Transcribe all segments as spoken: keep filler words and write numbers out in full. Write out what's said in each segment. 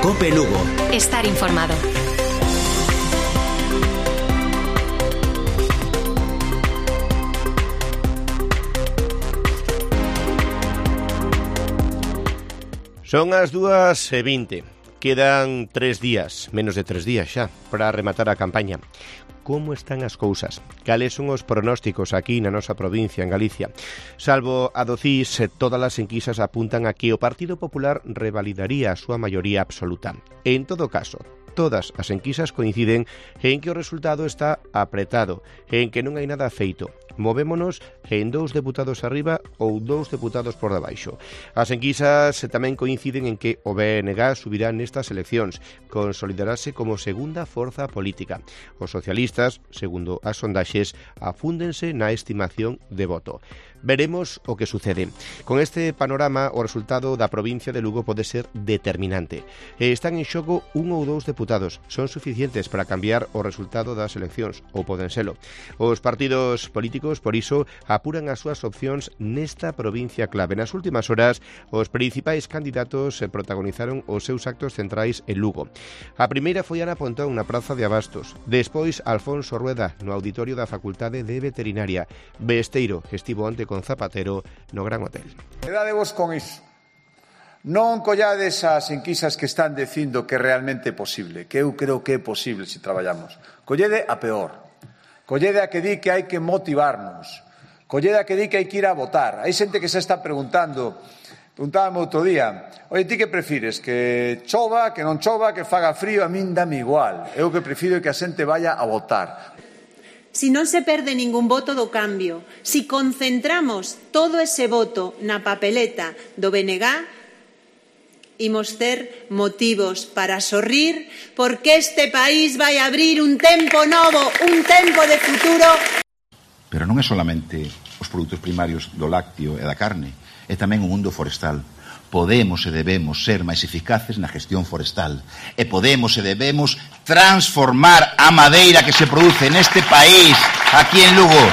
COPE Lugo. Estar informado. Son as dúas e vinte. Quedan tres días, menos de tres días xa, para rematar a campaña. Como están as cousas? Cales son os pronósticos aquí na nosa provincia, en Galicia? Salvo a do C I S, todas as enquisas apuntan a que o Partido Popular revalidaría a súa maioría absoluta. En todo caso, todas as enquisas coinciden en que o resultado está apretado, en que non hai nada feito. Movémonos en dous deputados arriba ou dous deputados por debaixo. As enquisas tamén coinciden en que o B N G subirá nestas eleccións, consolidarase como segunda forza política. Os socialistas, segundo as sondaxes, afúndense na estimación de voto. Veremos o que sucede. Con este panorama, o resultado da provincia de Lugo pode ser determinante. Están en xogo un ou dous deputados. Son suficientes para cambiar o resultado das eleccións, ou poden selo. Os partidos políticos, por iso, apuran as súas opcións nesta provincia clave. Nas últimas horas, os principais candidatos protagonizaron os seus actos centrais en Lugo. A primeira foi Ana Pontón na Praza de Abastos. Despois, Alfonso Rueda no auditorio da Facultade de Veterinaria. Besteiro estivo onte con Zapatero no Gran Hotel. Quedadevos con iso. Non collades as enquisas que están dicindo que realmente é posible, que eu creo que é posible se traballamos. Collede a peor. Collede a que di que hai que motivarnos. Collede a que di que hai que ir a votar. Hai xente que se está preguntando, preguntábame outro día, oye, ti que prefires? Que chova, que non chova, que faga frío? A min dame igual. Eu que prefiro é que a xente vaya a votar. Si non se perde ningún voto do cambio, si concentramos todo ese voto na papeleta do B N G, imos ter motivos para sorrir, porque este país vai abrir un tempo novo, un tempo de futuro. Pero non é solamente os produtos primarios do lácteo e da carne, é tamén o mundo forestal. Podemos e debemos ser máis eficaces na gestión forestal e podemos e debemos transformar a madeira que se produce neste país, aquí en Lugo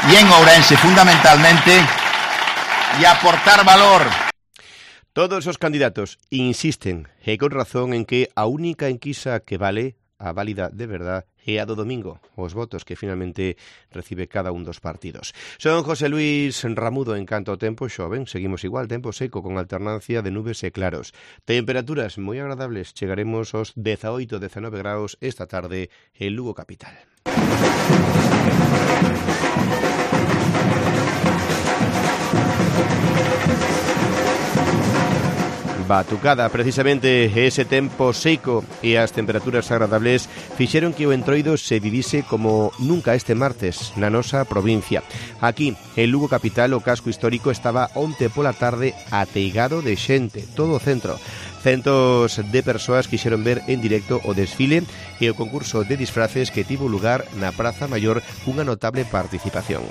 e en Ourense fundamentalmente, e aportar valor. Todos os candidatos insisten, e con razón, en que a única enquisa que vale, a válida de verdad, é a do domingo, os votos que finalmente recibe cada un dos partidos. Son José Luis Ramudo. En canto ao tempo, xoven, seguimos igual, tempo seco con alternancia de nubes e claros. Temperaturas moi agradables, chegaremos aos dezaoito a dezanove graus esta tarde en Lugo capital. Batucada, precisamente ese tempo seco e as temperaturas agradables fixeron que o Entroido se vivise como nunca este martes na nosa provincia. Aquí, en Lugo capital, o casco histórico estaba onte pola tarde ateigado de xente, todo o centro. Centos de persoas quixeron ver en directo o desfile e o concurso de disfraces que tivo lugar na Praza Maior cunha notable participación.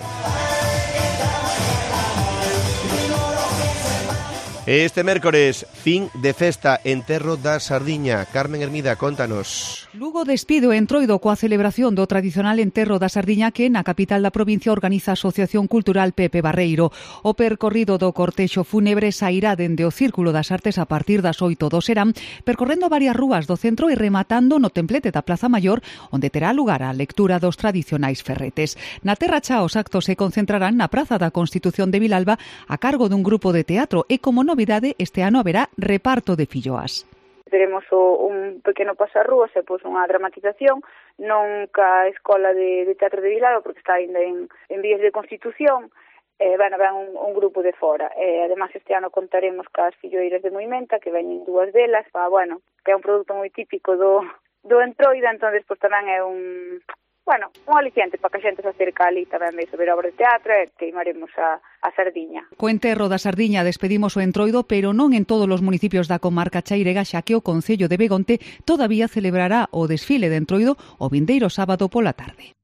Este mércores, fin de festa, enterro da Sardiña. Carmen Hermida, contanos. Lugo despido Entroido coa celebración do tradicional enterro da Sardiña que na capital da provincia organiza a Asociación Cultural Pepe Barreiro. O percorrido do cortexo fúnebre sairá dende o Círculo das Artes a partir das oito do serán, percorrendo varias rúas do centro e rematando no templete da Plaza Maior, onde terá lugar a lectura dos tradicionais ferretes. Na Terra Cha os actos se concentrarán na Praza da Constitución de Vilalba a cargo dun grupo de teatro e como novidade este ano haberá reparto de filloas. Teremos o, un pequeno pasarrúas e pois unha dramatización, non ca Escola de, de Teatro de Vilalba, porque está ainda en, en vías de constitución, e, bueno, ven un, un grupo de fora. E, además, este ano contaremos cas filloeiras de Moimenta, que veñen dúas delas, pa, bueno, que é un produto moi típico do, do Entroido, entón, pois tamén é un... Bueno, un aliciente para que a xente se acerca ali tamén de sobre obra de teatro e queimaremos a, a Sardiña. Co enterro da Sardiña despedimos o Entroido, pero non en todos os municipios da comarca chairega, xa que o Concello de Begonte todavía celebrará o desfile de Entroido o vindeiro sábado pola tarde.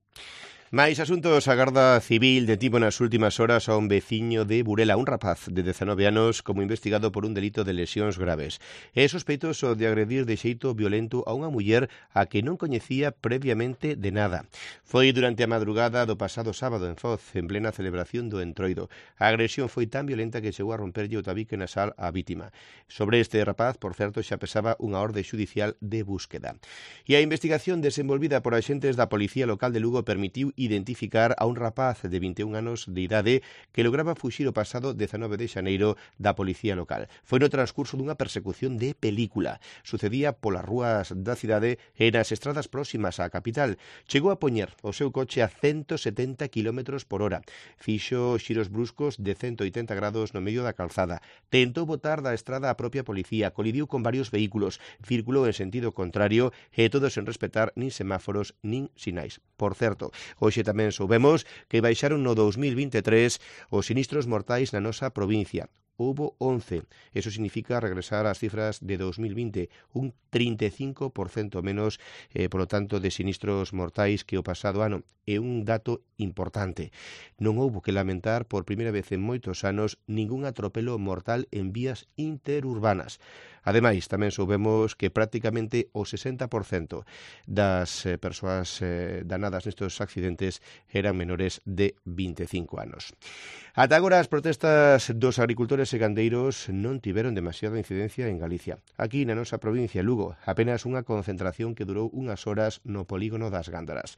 Mais asuntos, a Garda Civil detivo nas últimas horas a un veciño de Burela, un rapaz de dezanove anos, como investigado por un delito de lesións graves. É sospeitoso de agredir de xeito violento a unha muller a que non coñecía previamente de nada. Foi durante a madrugada do pasado sábado en Foz, en plena celebración do Entroido. A agresión foi tan violenta que chegou a romperlle o tabique nasal á vítima. Sobre este rapaz, por certo, xa pesaba unha orde xudicial de búsqueda. E a investigación desenvolvida por axentes da Policía Local de Lugo permitiu identificar a un rapaz de vinte e un anos de idade que lograba fuxir o pasado dezanove de xaneiro da Policía Local. Foi no transcurso dunha persecución de película. Sucedía polas rúas da cidade e nas estradas próximas á capital. Chegou a poñer o seu coche a ciento setenta kilómetros por hora. Fixo xiros bruscos de ciento oitenta grados no medio da calzada. Tentou botar da estrada a propia policía, colidiu con varios vehículos, circulou en sentido contrario e todo sen respetar nin semáforos nin sinais. Por certo, hoxe tamén soubemos que baixaron no dos mil vinte e tres os sinistros mortais na nosa provincia. Houbo once. Eso significa regresar ás cifras de dos mil vinte, un trinta e cinco por cento menos, eh, polo tanto, de sinistros mortais que o pasado ano. É un dato importante. Non houbo que lamentar por primeira vez en moitos anos ningún atropelo mortal en vías interurbanas. Ademais, tamén soubemos que prácticamente o sesenta por cento das eh, persoas eh, danadas nestes accidentes eran menores de vinte e cinco anos. Ata agora as protestas dos agricultores e gandeiros non tiveron demasiada incidencia en Galicia. Aquí na nosa provincia, Lugo, apenas unha concentración que durou unhas horas no polígono das Gándaras.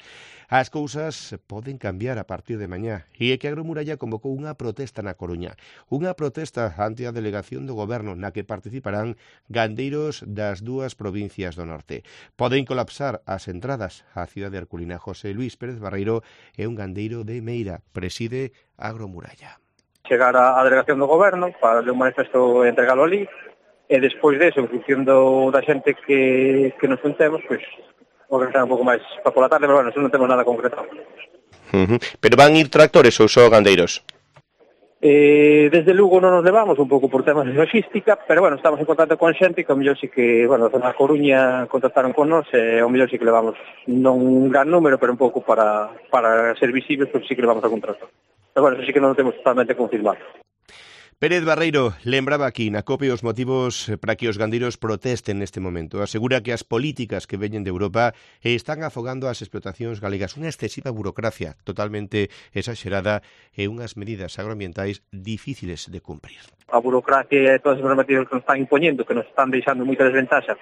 As cousas poden cambiar a partir de mañá e é que Agromuralla convocou unha protesta na Coruña. Unha protesta ante a delegación do goberno na que participarán gandeiros das dúas provincias do norte. Poden colapsar as entradas á cidade herculina. José Luis Pérez Barreiro é un gandeiro de Meira, preside Agromuralla. Chegar á delegación do goberno para ler un manifesto e entregalo ali, e despois deso, en función do, da xente que, que nos juntemos, pois, organizar un pouco máis para pola tarde, pero bueno, non temos nada concretado. Uh-huh. Pero van ir tractores ou só gandeiros? Eh, desde Lugo non nos levamos un pouco por temas de logística, pero bueno, estamos en contacto con xente que ao mellor sí que, bueno, na Coruña contactaron con nós e ao mellor sí que levamos non un gran número, pero un pouco para, para ser visibles, porque sí que levamos algún tractor. Pero bueno, eso sí que non lo temos totalmente confirmado. Pérez Barreiro lembraba aquí na COPE os motivos para que os gandeiros protesten neste momento. Asegura que as políticas que veñen de Europa están afogando as explotacións galegas, unha excesiva burocracia totalmente exagerada e unhas medidas agroambientais difíciles de cumprir. A burocracia e todas as normativas que nos están impoñendo, que nos están deixando moita desventaxa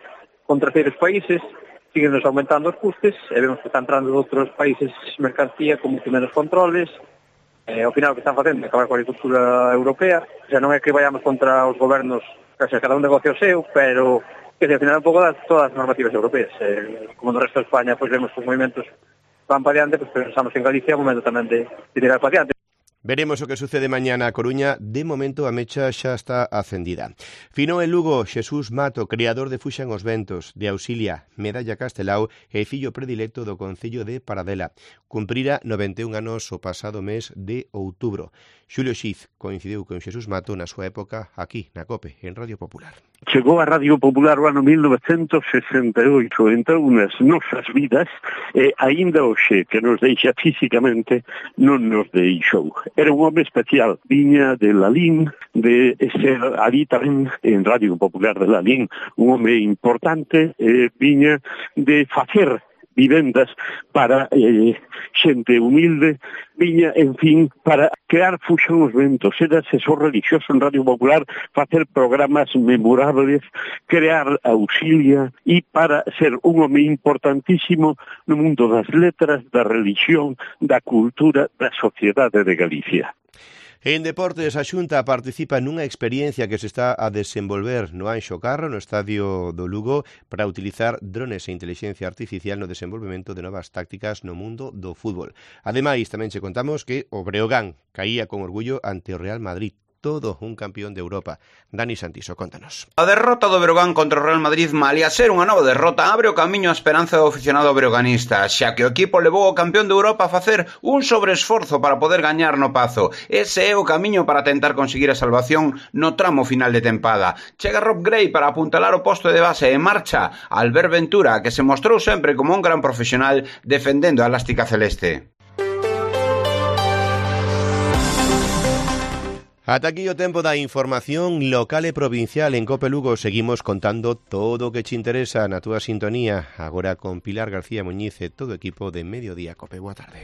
contra terceiros países, siguen nos aumentando os custes e vemos que están entrando de outros países mercancía con moito menos controles. Eh, ao final o que están facendo é acabar coa agricultura europea. O sea, non é que vayamos contra os gobernos, que sea, cada un negocio seu, pero que ao final un pouco das todas as normativas europeas. Eh, como no resto de España, pois vemos que os movimentos van para diante, pois pensamos que en Galicia é o momento tamén de, de tirar para diante. Veremos o que sucede mañá na Coruña. De momento a mecha xa está acendida. Finou en Lugo Xesús Mato, creador de Fuxan os Ventos, de Auxilia, Medalla Castelao e fillo predilecto do Concello de Paradela. Cumprira noventa e un anos o pasado mes de outubro. Xulio Xiz coincidiu con Xesús Mato na súa época aquí, na COPE, en Radio Popular. Chegou a Radio Popular o ano mil novecentos sesenta e oito, entrou nas nosas vidas e aínda hoxe que nos deixa físicamente non nos deixou. Era un home especial, viña de Lalín, de ser ali tamén en Radio Popular de Lalín, un home importante, eh, viña de facer vivendas para eh, xente humilde, viña, en fin, para crear Fuxan os Ventos, ser asesor religioso en Radio Popular, facer programas memorables, crear Auxilia e para ser un home importantísimo no mundo das letras, da religión, da cultura, da sociedade de Galicia. En deportes, a Xunta participa nunha experiencia que se está a desenvolver no Anxo Carro, no estadio do Lugo, para utilizar drones e inteligencia artificial no desenvolvemento de novas tácticas no mundo do fútbol. Ademais, tamén che contamos que o Breogán caía con orgullo ante o Real Madrid. Todo un campeón de Europa. Dani Santiso, contanos. A derrota do Breogán contra o Real Madrid, malia ser unha nova derrota, abre o camiño á esperanza do aficionado breoganista, xa que o equipo levou o campeón de Europa a facer un sobreesforzo para poder gañar no Pazo. Ese é o camiño para tentar conseguir a salvación no tramo final de tempada. Chega Rob Gray para apuntalar o posto de base e marcha Albert Ventura, que se mostrou sempre como un gran profesional defendendo a elástica celeste. Ata aquí o tempo da información local e provincial en Cope Lugo. Seguimos contando todo o que te interesa na túa sintonía. Agora con Pilar García Muñiz e todo o equipo de Mediodía Cope. Boa tarde.